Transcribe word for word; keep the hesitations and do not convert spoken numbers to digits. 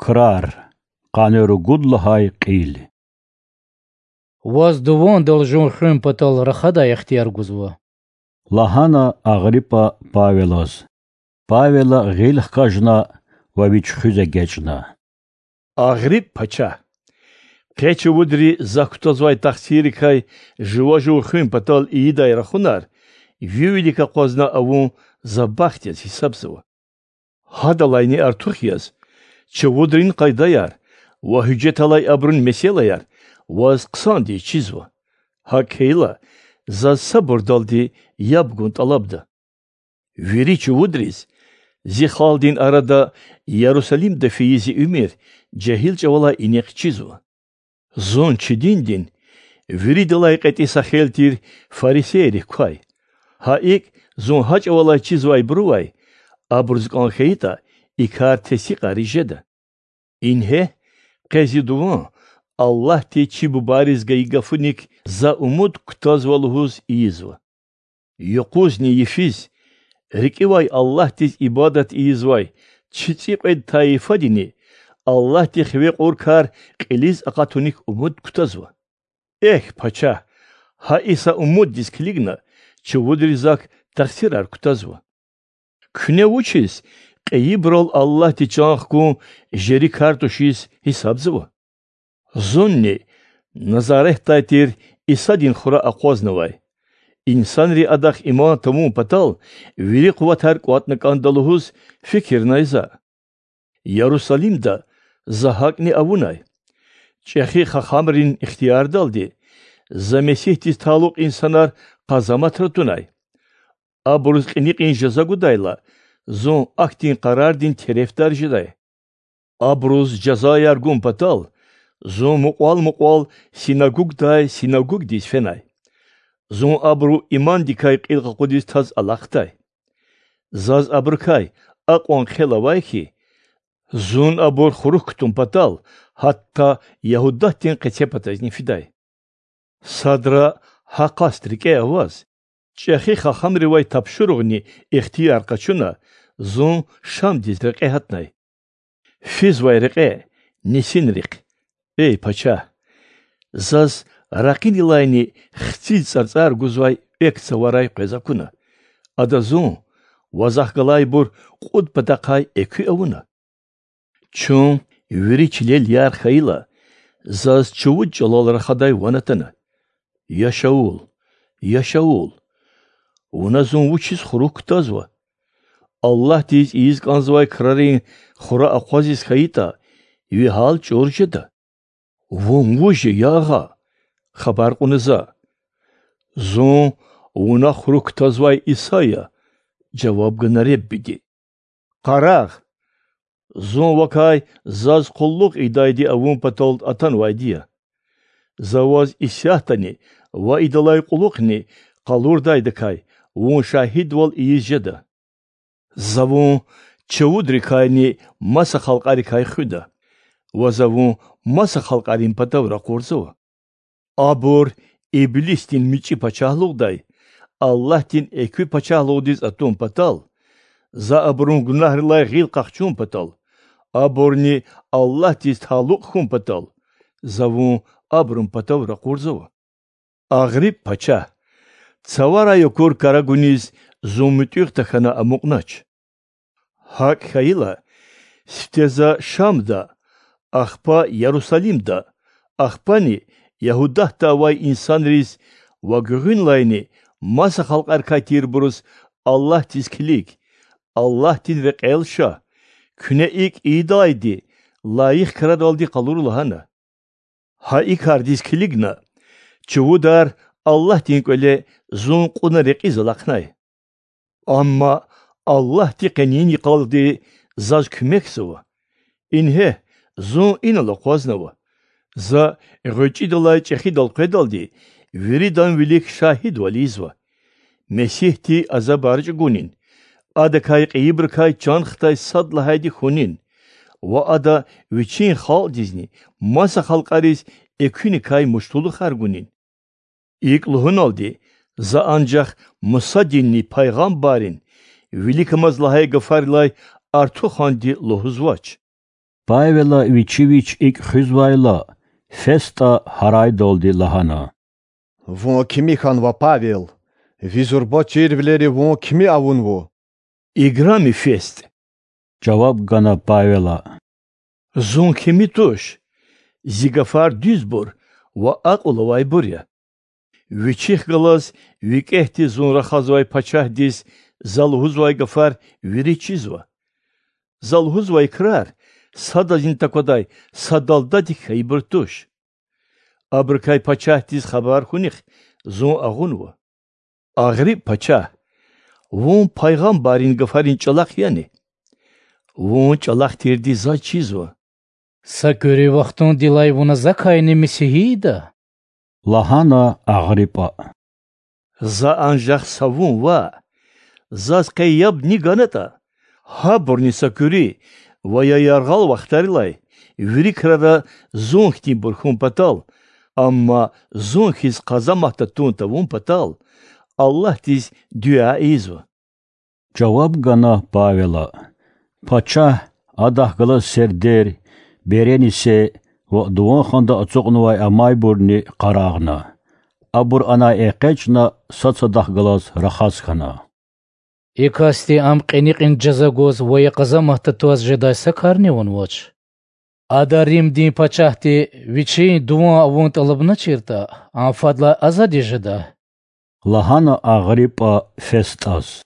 Крар, къанни ругуд лагьай кьил. Ваз дувандал жув хуьн патал рахадай ихтияр гузва,— лагьана Агъриппа Павелаз. Павела гъил хкажна ва вич хуьз эгечӀна: Агърипп пачагь! Къе чувудри за кутазвай тахсиррикай жува жув хуьн патал ийидай рахунар ви вилик акъвазна авун за бахт яз гьисабзава. Гьадалайни артух яз, чувудрин къайдаяр ва гьуьжеталай абурун месэлаяр ваз хъсандиз чизва. ГьакӀ хьайила, заз сабурдалди яб гун тӀалабда. Вири чувудриз зи халкьдин арада Ярусалимда фейи зи уьмуьр жегьил чӀавалай инихъ чизва. Зун чи диндин виридалай кьетӀи са хел тир фарисейрихъ квай. Гьа икӀ, зун гьа чӀавалай чизвайбурувай, абуруз кӀан хьайитӀа, и кар тестикьариз жеда. Ингье, къе зи дуван Аллагьди чи бубайриз гайи гафуник за умуд кутазва лугьуз ийизва. Юкъузни йифиз, рикӀивай Аллагьдиз ибадат ийизвай чи цӀикьвед тайифадини Аллагьди хиве кьур кар кьилиз акъатуник умуд кутазва. Эхь, пачагь, гьа и са умуддиз килигна чувудри зак тахсирар кутазва. Куьне вучиз кьейибурал Аллагьди чан хкун жери кар тушиз гьисабзава? Зунни Назаретдай тир Исадин хура акъвазнавай. Инсанри Адахъ иман тавун патал вири къуватар кӀватӀна кӀанда лугьуз фикирнай за. Ярусалимда за гьакӀни авунай. ЧӀехи хахамрин ихтиярдалди за Месигьдиз талукь инсанар къазаматра тунай. Абуруз кьиникьин жаза гудайла, зун ахьтин къарардин терефдар жедай. Абуруз жазаяр гун патал, зун мукьвал-мукьвал синагугдай синагугдиз фенай. Зун абуру имандикай кьил къакъудиз таз алахъдай. Заз абурукай акьван хъел авай хьи, зун абур хурук кутун патал гьатта Ягьудатдин къецепатазни фидай. Садра гьа къаст рикӀе аваз, чӀехи хахамривай тапшуругъни ихтияр къачуна, зун Шамдиз рекье гьатнай. Физвай рекье нисинрихъ, эй пачагь! Заз ракъинилайни хциз цӀарцӀар гузвай экв цаварай къвез акуна. Ада зун ва захъ галайбур кьуд патахъай экуь авуна. Чун вири чилел ярх хьайила, заз чувуд чӀалал рахадай ван атана: Я Шаул, я Шаул! Вуна зун вучиз хурук кутазва? Аллагьдиз ийиз кӀанзавай крарин хура акъвазиз хьайитӀа, ви гьал чӀур жеда. Вун вуж я, я Агъа? Хабар кьуна за. Зун вуна хурук кутазвай Иса я,— жаваб гана Реббиди. Къарагъ, зун вакай заз къуллугъ ийидайди авун патал атанвайди я. За ваз исятдани ва идалай кьулухъни къалурдайдакай вун шагьидвал ийиз жеда. За вун чувудрикайни маса халкьарикай хуьда, ва за вун маса халкьарин патав ракъурзава. Абур Иблисдин мичӀи пачагьлугъдай Аллагьдин экуь пачагьлугъдиз атун патал, за абурун гунагьрилай гъил къахчун патал, абурни Аллагьдиз талукь хьун патал, за вун абурун патав ракъурзава. Агърипп пачагь, цаварай акур кара гуниз зун муьтӀуьгъ тахьана амукьнач. ГьакӀ хьайила, сифте за Шамда, ахпа Ярусалимда, ахпани Ягьудатда авай инсанриз ва гуьгъуьнлайни маса халкьарикай тирбуруз Аллагьдиз килиг, Аллагьдин рекьел ша, куьне икӀ ийидалайди лайих крадалди къалур лагьана. Гьа и кардиз килигна, чувудар Аллагьдин кӀвале зун кьуна рекьиз алахънай. Амма Аллагьди къенин йикъалди заз куьмекзава. Ингье, зун инал акъвазнава. За гъвечӀидалай чӀехидал къведалди виридан вилик шагьидвал ийизва. Месигьди азабар чӀугунин, адакай кьейибурукай чан хтай сад лагьайди хьунин ва ада вичин халкьдизни маса халкьариз экуьникай муштулухар гунин. ИкӀ лугьуналди, за анжах Мусадинни пайгъамбаррин виликамаз лагьай гафарилай артуханди лугьузвач. Павела вичи вич икӀ хуьзвайла, ФестӀа гьарайдалди лагьана: Вун кими хьанва, Павел? Ви зурба чирвилери вун кими авунва? Играми ФестӀ,— жаваб гана Павела,— зун кими туш, зи гафар дуьзбур ва акьул авайбур я. Вичихъ галаз викӀегьди зун рахазвай пачагьдиз за лугьузвай гафар вири чизва. За лугьузвай крар садазни таквадай са далдадик хьайибур туш. Абурукай пачагьдиз хабар хьунихъ зун агъунва. Агърипп пачагь, вун пайгъамбаррин гафарин чӀалахъ яни? Вун чӀалахъ тирди заз чизва. Са куьруь вахтундилай вуна закайни месигьи ийида? Лагьана Агъриппа. За анжах са вун ваъ. Заз къе яб ни ганатӀа, гьабурни са куьруь ва я яргъал вахтарилай вири крара зун хьтинбур хьун патал, амма зун хьиз къазамат татун тавун патал, Аллагьдиз дуьа ийизва,— жаваб гана Павела. Пачагь, адахъ галаз сердер, беренисе ва дуван ханда ацукьнавай амайбурни къарагъна. Абур анай экъечӀна, сад-садахъ галаз рахаз хьана. И касди ам кьиникьин жаза гуз ва я къазамат татваз жедай са карни авунвач. Ада Римдин пачагьди вичин дуван авун тӀалабначиртӀа, ам фадлай азадиз жеда,— лагьана Агъриппа ФестӀаз.